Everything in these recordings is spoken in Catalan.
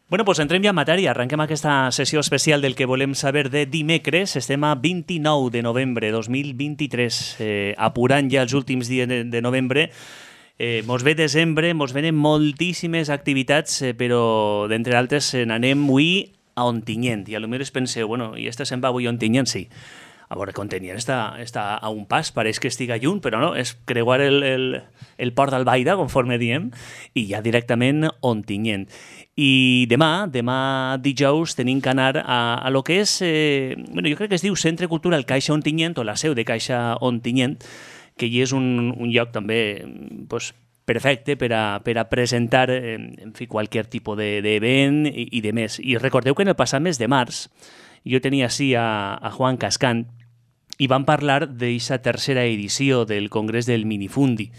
Bueno, doncs entrem ja en matèria. Arrenquem aquesta sessió especial del que volem saber de dimecres. Estem a 29 de novembre 2023, apurant ja els últims dies de novembre. Mos ve desembre, mos venen moltíssimes activitats, però d'entre altres n'anem avui a Ontinyent. I potser es penseu, bueno, i se'n va avui a Ontinyent? Sí. A veure, que Ontinyent està a un pas, pareix que estiga lluny, però no, és creuar el port d'Albaida, conforme diem, i ja directament Ontinyent. I demà dijous, tenim que anar a lo que és, bueno, jo crec que es diu Centre Cultural Caixa Ontinyent, o la seu de Caixa Ontinyent, que hi és un lloc també pues, perfecte per a presentar en fi, qualsevol tipus d'event i de més. I recordeu que en el passat mes de març jo tenia així a Juan Cascant i vam parlar d'aquesta tercera edició del Congrés del Minifundi.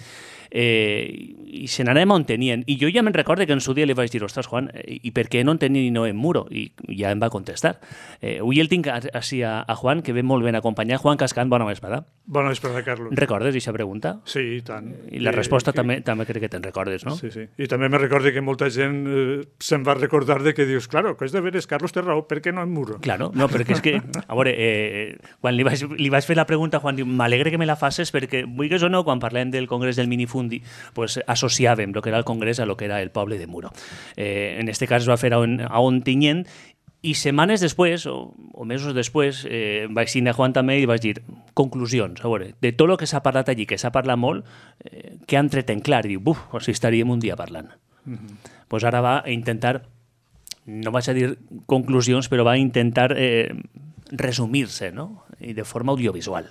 I se n'anem a Ontinyent. I jo ja me'n recordo que en su dia li vaig dir, ostres, Juan, i per què no Ontinyent i no en Muro? I ja em va contestar. Avui el tinc així a Juan, que ve molt ben acompanyat. Juan Cascant, bona vesprada. Bona vesprada, Carlos. Recordes aquesta pregunta? Sí, i tant. I la resposta també crec que te'n recordes, no? Sí, sí. I també me recordo que molta gent se'n va recordar de que dius, claro, que és de veres, Carlos té raó, per què no en Muro? Claro, no, perquè és que, a veure, quan li vaig fer la pregunta, Juan diu, m'alegre que me la faces perquè, vulguis o no, quan parlem del Congrés del Minifundi, pues associàvem el que era el Congrés a lo que era el poble de Muro. En este cas es va fer a Ontinyent i setmanes després, o mesos després, vaig signar a Juan també i vaig dir, conclusions, a veure, de tot el que s'ha parlat allí, que s'ha parlat molt, què han tret en clar? I diu, buf, o sigui, estaríem un dia parlant. Pues ara va a intentar, no vaig a dir conclusions, però va a intentar resumir-se, no? I de forma audiovisual.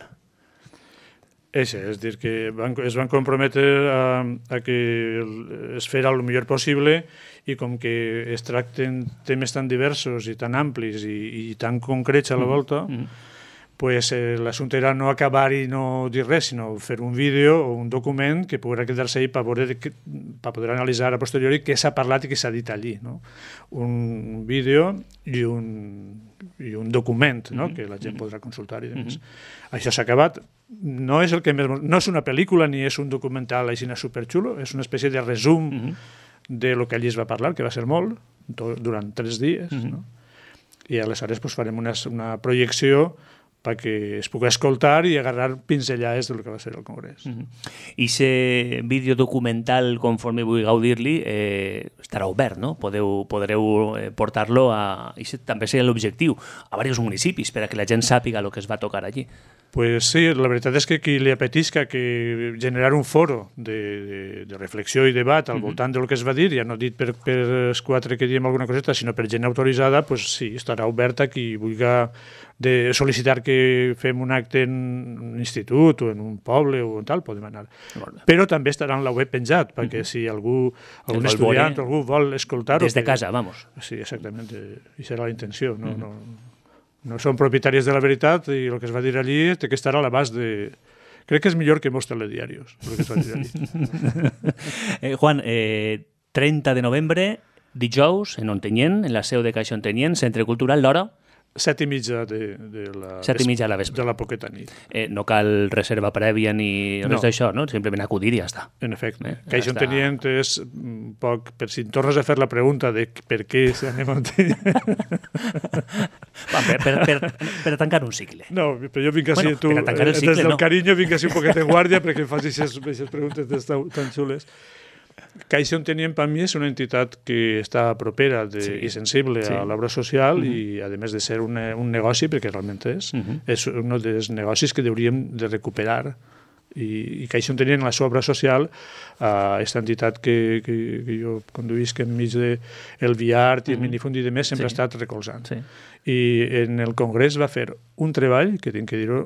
És dir, que es van comprometre a que es fera el millor possible i com que es tracten temes tan diversos i tan amplis i tan concrets a la volta, pues, l'assumpte era no acabar i no dir res, sinó fer un vídeo o un document que pugui quedar-se ahí per poder analitzar a posteriori què s'ha parlat i què s'ha dit allí. No? Un vídeo i un document, no? Que la gent podrà consultar i demés. Això s'ha acabat. No és una pel·lícula ni és un documental així superxulo, és una espècie de resum de lo que allí es va parlar, que va ser molt, durant 3 dies. No? I aleshores pues, farem una projecció perquè es pugui escoltar i agarrar pinzellades del que va ser el Congrés. I aquest vídeo documental, conforme vulgueu dir-li, estarà obert, no? Podreu portar-lo a... I també seria l'objectiu, a diversos municipis, per a que la gent sàpiga el que es va tocar allí. Pues sí, la veritat és que qui li apetisca que generar un foro de reflexió i debat al voltant del que es va dir, ja no dit per els 4 que diem alguna coseta, sinó per gent autoritzada, pues sí, estarà obert a qui vulgui de sol·licitar que fem un acte en un institut o en un poble o tal, podem anar. Però també estarà en la web penjat, perquè si algun estudiant o algú vol escoltar-ho... Des de casa, vamos. Sí, exactament, i serà la intenció. No són propietaris de la veritat i el que es va dir allí té que estar a l'abast de... Crec que és millor que mos telediarios, el que es va dir allí. Juan, 30 de novembre, dijous, en Ontinyent, en la seu de Caixa Ontinyent, Centre Cultural, l'hora? 7:30 de la vespre. De la poqueta nit. No cal reserva prèvia ni res d'això, no? Simplement acudir i ja està. En efecte. Caixa Ontinyent és un poc... Per si tornes a fer la pregunta de per què anem a Ontinyent... Per tancar un cicle. No, però jo vinc així, tu, des del carinyo vinc així un poquet en guàrdia perquè em facis aquestes preguntes tan xules. Caixa Ontinyent per mi és una entitat que està propera i sensible a l'obra social i a més de ser un negoci, perquè realment és un dels negocis que hauríem de recuperar i Caixa Ontinyent en la seva obra social, aquesta entitat que jo conduïsc enmig del Viart i el Minifundi i demés sempre ha estat recolzant. I en el Congrés va fer un treball, que tinc que dir-ho,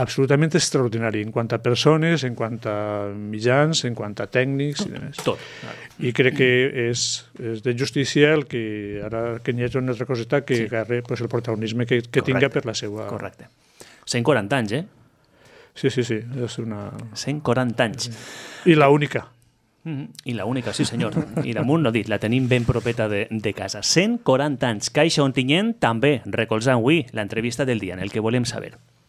absolutament extraordinari en quant a persones, en quant a mitjans, en quant a tècnics i demés. Tot. I crec que és de justícia el que ara que n'hi hagi una altra coseta que agarre el protagonisme que tinga per la seva... Correcte. 140 anys, Sí, és una... 140 anys. I la única. I la única, sí senyor. I damunt no dit, la tenim ben propeta de casa. 140 anys. Caixa Ontinyent també recolzant avui l'entrevista del dia en el que volem saber.